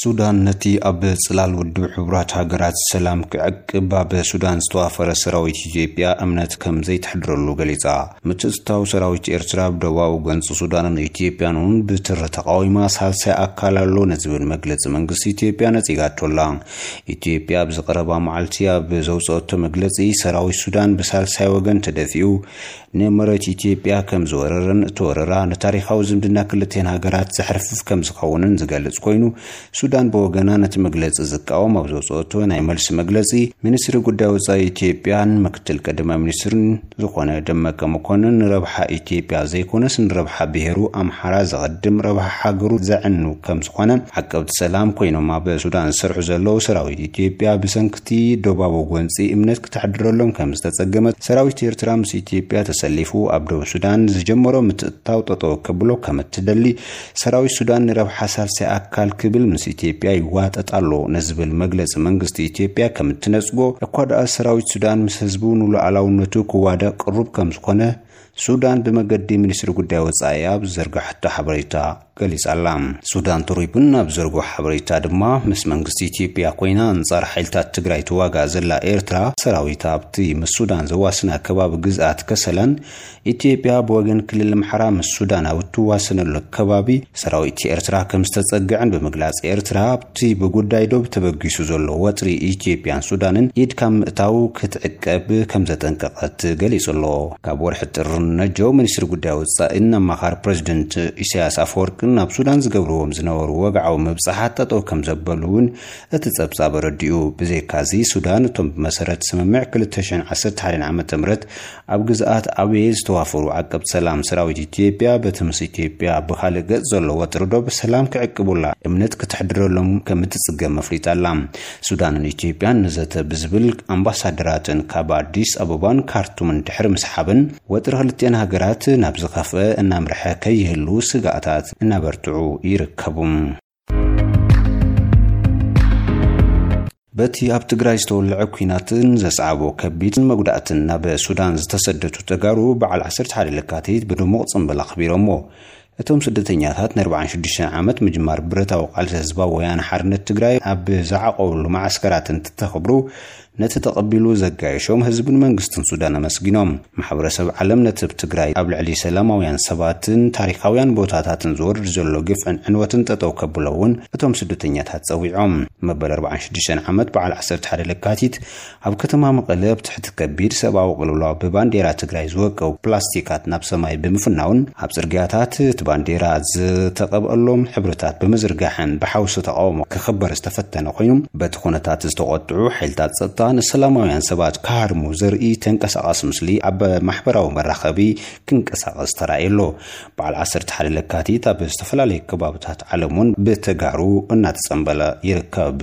ሱዳን ነቲ ኣብ ጽላል ውድብ ሕቡራት ሃገራት ሰላም ክዕቅብ ኣብ ሱዳን ዝተዋፈረ ሰራዊት ኢትዮጵያ እምነት ከም ዘይተሕድረሉ ገሊጻ። ምትእትታው ሰራዊት ኤርትራ ኣብ ደቡባዊ ጎንፂ ሱዳንን ኢትዮጵያን እውን ብትሪ ተቃዊማ ሳልሳይ ኣካል ኣሎ ንዝብል መግለጺ መንግስቲ ኢትዮጵያ ነጺጋቶ ኣላ። ኢትዮጵያ ኣብዚ ቀረባ መዓልቲ ኣብ ዘውፅኦቶ መግለጺ፣ ሰራዊት ሱዳን ብሳልሳይ ወገን ተደፊኡ ንመሬት ኢትዮጵያ ከም ዝወረረን እቲ ወረራ ንታሪኻዊ ዝምድና ክልቴን ሃገራት ዘሕርፍፍ ከም ዝኸውንን ዝገልጽ ኮይኑ፣ ሱዳን ብወገና ነቲ መግለጺ ዝቃወም ኣብ ዘውፅኦቶ ናይ መልሲ መግለጺ፣ ሚኒስትሪ ጉዳይ ወጻኢ ኢትዮጵያን ምክትል ቀዳማይ ሚኒስትርን ዝኾነ ደመቀ መኮንን ንረብሓ ኢትዮጵያ ዘይኮነስ ንረብሓ ብሄሩ ኣምሓራ ዘቐድም፣ ረብሓ ሃገሩ ዘዕኑ ከም ዝኾነ፣ ዓቀብቲ ሰላም ኮይኖም ኣብ ሱዳን ዝሰርሑ ዘለዉ ሰራዊት ኢትዮጵያ ብሰንክቲ ዶባዊ ጎንፂ እምነት ክተሕድረሎም ከም ዝተጸገመ፣ ሰራዊት ኤርትራ ምስ ኢትዮጵያ ተሰሊፉ ኣብ ደቡብ ሱዳን ዝጀመሮ ምትእትታው ጠጠው ከብሎ ከም እትደሊ፣ ሰራዊት ሱዳን ንረብሓ ሳልሳይ ኣካል ክብል ምስ ኢትዮጵያ ይዋጠጥ ኣሎ ንዝብል መግለጺ መንግስቲ ኢትዮጵያ ከም እትነጽጎ፣ እኳ ደኣ ሰራዊት ሱዳን ምስ ህዝቡ ንሉዓላውነቱ ክዋዳእ ቅሩብ ከም ዝኾነ ሱዳን ብመገዲ ሚኒስትሪ ጉዳይ ወጻኢ ኣብ ዝዘርጋሕቶ ሓበሬታ ገሊጻ ኣላ። ሱዳን ትሪቡን ኣብ ዘርግሖ ሓበሬታ ድማ፣ ምስ መንግስቲ ኢትዮጵያ ኮይና ኣንጻር ሓይልታት ትግራይ ትዋጋእ ዘላ ኤርትራ፣ ሰራዊታ ኣብቲ ምስ ሱዳን ዘዋስና ከባቢ ግዝኣት ከሰላን ኢትዮጵያ ብወገን ክልል ኣምሓራ ምስ ሱዳን ኣብ እትዋሰነሉ ከባቢ ሰራዊት ኤርትራ ከም ዝተጸግዐን ብምግላጽ፣ ኤርትራ ኣብቲ ብጉዳይ ዶብ ተበጊሱ ዘሎ ወጥሪ ኢትዮጵያን ሱዳንን ኢድ ካብ ምእታው ክትዕቀብ ከም ዘጠንቀቐት ገሊጹ ኣሎ። ካብ ወርሒ ጥሪ ነጀው፣ ሚኒስትሪ ጉዳይ ወጻኢን ኣማኻሪ ፕሬዚደንት ኢሳያስ ኣፈወርቅን ናብ ሱዳን ዝገብርዎም ዝነበሩ ወግዓዊ ምብጻሓት ጠጠው ከም ዘበሉ እውን እቲ ጸብጻብ ኣረዲኡ። ብዘይካዚ፣ ሱዳን እቶም ብመሰረት ስምምዕ ክልተ ሽሕን ዓሰርተ ሓደን ዓመተ ምህረት ኣብ ግዝኣት ኣቤ ዝተዋፈሩ ዓቀብቲ ሰላም ሰራዊት ኢትዮጵያ፣ በቲ ምስ ኢትዮጵያ ብኻልእ ገጽ ዘሎ ወጥሪ ዶብ ሰላም ክዕቅቡላ እምነት ክትሕድረሎም ከም እትጽገም ኣፍሊጣ ኣላ። ሱዳንን ኢትዮጵያን ንዘተ ብዝብል፣ ኣምባሳደራተን ካብ ኣዲስ ኣበባን ካርቱምን ድሕሪ ምስሓበን፣ ወጥሪ ክልቲአን ሃገራት ናብ ዝኸፍአ እናምርሐ ከይህሉ ስጋኣታት እናበርትዑ ይርከቡ። በቲ ኣብ ትግራይ ዝተወልዐ ኲናትን ዘስዓቦ ከቢድ መጉዳእትን፣ ናብ ሱዳን ዝተሰደቱ ተጋሩ በዓል ዓሰርተ ሓደ ለካቲት ብድሙቕ ጽምብል ኣኽቢሮሞ። እቶም ስደተኛታት ንኣርባዓን ሽዱሽተን ዓመት ምጅማር ብረታዊ ቃልሲ ህዝባዊ ወያነ ሓርነት ትግራይ ኣብ ዝዓቆብሉ መዓስከራት እንትተኽብሩ፣ ነቲ ተቐቢሉ ዘጋየሾም ህዝብን መንግስትን ሱዳን ኣመስጊኖም። ማሕበረሰብ ዓለም ነቲ ኣብ ትግራይ ኣብ ልዕሊ ሰላማውያን ሰባትን ታሪኻውያን ቦታታትን ዝወርድ ዘሎ ግፍዕን ዕንወትን ጠጠው ከብሎ እውን እቶም ስደተኛታት ጸዊዖም። መበል ኣርባዓን ሽዱሽተን ዓመት በዓል ዓሰርተ ሓደ ለካቲት ኣብ ከተማ መቐለ ኣብ ትሕቲ ከቢድ ሰብኣዊ ቅልውላው ብባንዴራ ትግራይ ዝወቀቡ ፕላስቲካት ናብ ሰማይ ብምፍናውን ኣብ ጽርግያታት እቲ ባንዴራ ዝተቐብአሎም ሕብርታት ብምዝርጋሕን ብሓውሲ ተቃውሞ ክኽበር ዝተፈተነ ኮይኑ፣ በቲ ኩነታት ዝተቆጥዑ ሓይልታት ጸጥታ ንሰላማውያን ሰባት ክሃርሙ ዘርኢ ተንቀሳቓሲ ምስሊ ኣብ ማሕበራዊ መራኸቢ ክንቀሳቐስ ተራእየ ኣሎ። በዓል ዓሰርተ ሓደ ለካቲት ኣብ ዝተፈላለዩ ከባብታት ዓለም እውን ብተጋሩ እናተጸንበለ ይርከብ።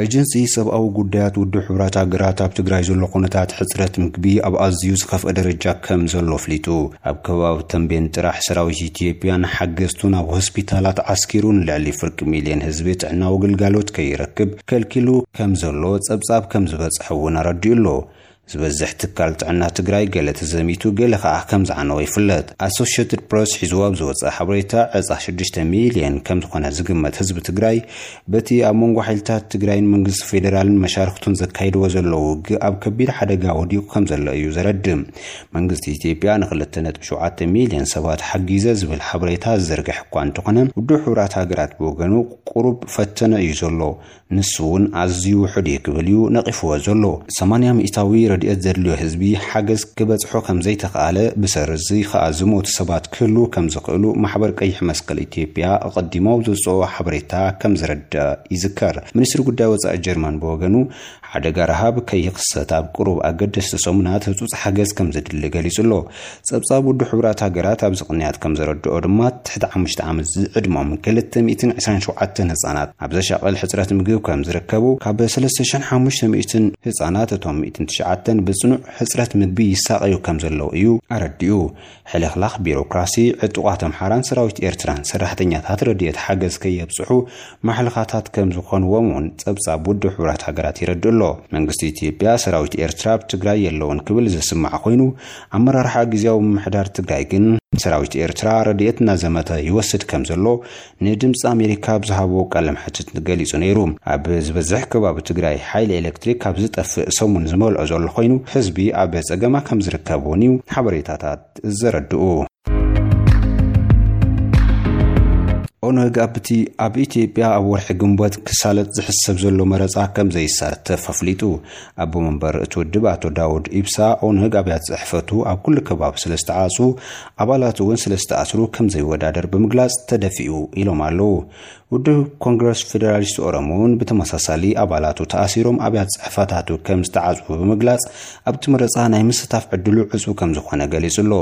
ኤጀንሲ ሰብኣዊ ጉዳያት ውድብ ሕቡራት ሃገራት ኣብ ትግራይ ዘሎ ኩነታት ሕጽረት ምግቢ ኣብ ኣዝዩ ዝኸፍአ ደረጃ ከም ዘሎ ኣፍሊጡ። ኣብ ከባቢ ተንቤን ጥራሕ ሰራዊት ኢትዮጵያን ሓገዝቱን ኣብ ሆስፒታላት ዓስኪሩ ንልዕሊ ፍርቂ ሚልዮን ህዝቢ ጥዕናዊ ግልጋሎት ከይረክብ ከልኪሉ ከም ዘሎ ጸብጻብ ከም ዝበጽሐ እውን ኣረዲኡ ኣሎ። ዝበዝሕ ትካል ጥዕና ትግራይ ገለ ተዘሚቱ፣ ገለ ከኣ ከም ዝዓነወ ይፍለጥ። ኣሶሽየትድ ፕረስ ሒዝዎ ኣብ ዝወጸ ሓበሬታ፣ ዕጻ ሽዱሽተ ሚልዮን ከም ዝኾነ ዝግመት ህዝቢ ትግራይ በቲ ኣብ መንጎ ሓይልታት ትግራይን መንግስቲ ፌደራልን መሻርክቱን ዘካይድዎ ዘለዉ ውግእ ኣብ ከቢድ ሓደጋ ወዲቑ ከም ዘሎ እዩ ዘረድእ። መንግስቲ ኢትዮጵያ ንክልተ ነጥቢ ሸውዓተ ሚልዮን ሰባት ሓጊዘ ዝብል ሓበሬታ ዝዘርግሕ እኳ እንተኾነ፣ ውድብ ሕቡራት ሃገራት ብወገኑ ቁሩብ ፈተነ እዩ ዘሎ። ንሱ እውን ኣዝዩ ውሑድ እዩ ክብል እዩ ነቒፍዎ ዘሎ። ሰማንያ ሚእታዊ ረድኤት ዘድልዮ ህዝቢ ሓገዝ ክበጽሖ ከም ዘይተኻእለ፣ ብሰሪ እዚ ኸኣ ዝሞቱ ሰባት ክህልዉ ከም ዝኽእሉ ማሕበር ቀይሕ መስቀል ኢትዮጵያ ኣቐዲሙ ኣብ ዘውጽኦ ሓበሬታ ከም ዘረድእ ይዝከር። ሚኒስትሪ ጉዳይ ወጻኢ ጀርመን ብወገኑ፣ ሓደጋ ረሃብ ከይኽሰት ኣብ ቁሩብ ኣገደስቲ ሰሙናት ህጹጽ ሓገዝ ከም ዘድሊ ገሊጹ ኣሎ። ጸብጻብ ውድብ ሕቡራት ሃገራት ኣብዚ ቅንያት ከም ዘረድኦ ድማ፣ ትሕቲ ሓሙሽተ ዓመት ዝዕድሞም ክልተ ሚእትን ዕስራን ሸውዓተን ህጻናት ኣብ ዘሻቕል ሕጽረት ምግቢ ከም ዝርከቡ፣ ካብ ሰለስተ ሽሕን ሓሙሽተ ሚእትን ህጻናት እቶም ሚእትን ትሽዓተን ብጽኑዕ ሕጽረት ምግቢ ይሳቐዩ ከም ዘለዉ እዩ ኣረዲኡ። ሕልኽላኽ ቢሮክራሲ፣ ዕጡቓት ኣምሓራን ሰራዊት ኤርትራን ሰራሕተኛታት ረድኤት ሓገዝ ከየብጽሑ ማሕለኻታት ከም ዝኾንዎም እውን ጸብጻብ ውድብ ሕቡራት ሃገራት የረድእ ኣሎ። መንግስቲ ኢትዮጵያ፣ ሰራዊት ኤርትራ ኣብ ትግራይ የለውን ክብል ዝስማዕ ኮይኑ፣ ኣመራርሓ ግዝያዊ ምምሕዳር ትግራይ ግን ሰራዊት ኤርትራ ረድኤት እናዘመተ ይወስድ ከም ዘሎ ንድምፂ ኣሜሪካ ኣብ ዝሃቦ ቃለ መሕትት ገሊጹ ነይሩ። ኣብ ዝበዝሕ ከባቢ ትግራይ ሓይሊ ኤሌክትሪክ ካብ ዝጠፍእ ሰሙን ዝመልኦ ዘሎ ኮይኑ፣ ህዝቢ ኣብ ጸገማ ከም ዝርከብ እውን እዩ ሓበሬታታት ዘረድኡ። ኦነግ ኣብቲ ኣብ ኢትዮጵያ ኣብ ወርሒ ግንቦት ክሳለጥ ዝሕሰብ ዘሎ መረጻ ከም ዘይሳተፍ ኣፍሊጡ። ኣቦ መንበር እቲ ውድብ ኣቶ ዳውድ ኢብሳ፣ ኦነግ ኣብያተ ጽሕፈቱ ኣብ ኩሉ ከባቢ ስለ ዝተዓጹ ኣባላቱ እውን ስለ ዝተኣስሩ ከም ዘይወዳደር ብምግላጽ ተደፊኡ ኢሎም ኣለዉ። ውድብ ኮንግረስ ፌደራሊስት ኦሮሞ እውን ብተመሳሳሊ ኣባላቱ ተኣሲሮም ኣብያተ ጽሕፈታቱ ከም ዝተዓጽዉ ብምግላጽ ኣብቲ መረጻ ናይ ምስታፍ ዕድሉ ዕጹ ከም ዝኾነ ገሊጹ ኣሎ።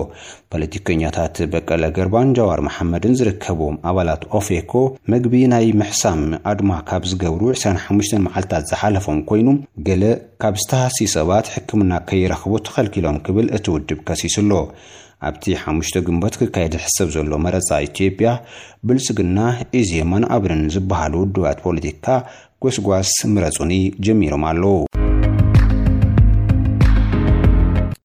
ፖለቲከኛታት በቀለ ገርባን ጃዋር መሓመድን ዝርከብዎም ኣባላት ኦፌኮ መግቢ ናይ ምሕሳም ኣድማ ካብ ዝገብሩ ዕስራን ሓሙሽተን መዓልታት ዝሓለፎም ኮይኑ፣ ገለ ካብ ዝተሃስዩ ሰባት ሕክምና ከይረኽቡ ተኸልኪሎም ክብል እቲ ውድብ ከሲሱ ኣሎ። ኣብቲ ሓሙሽተ ግንቦት ክካየድ ዝሕሰብ ዘሎ መረጻ ኢትዮጵያ ብልጽግና፣ ኢዜማን ኣብንን ዝበሃሉ ውድባት ፖለቲካ ጎስጓስ ምረጹኒ ጀሚሮም ኣለዉ።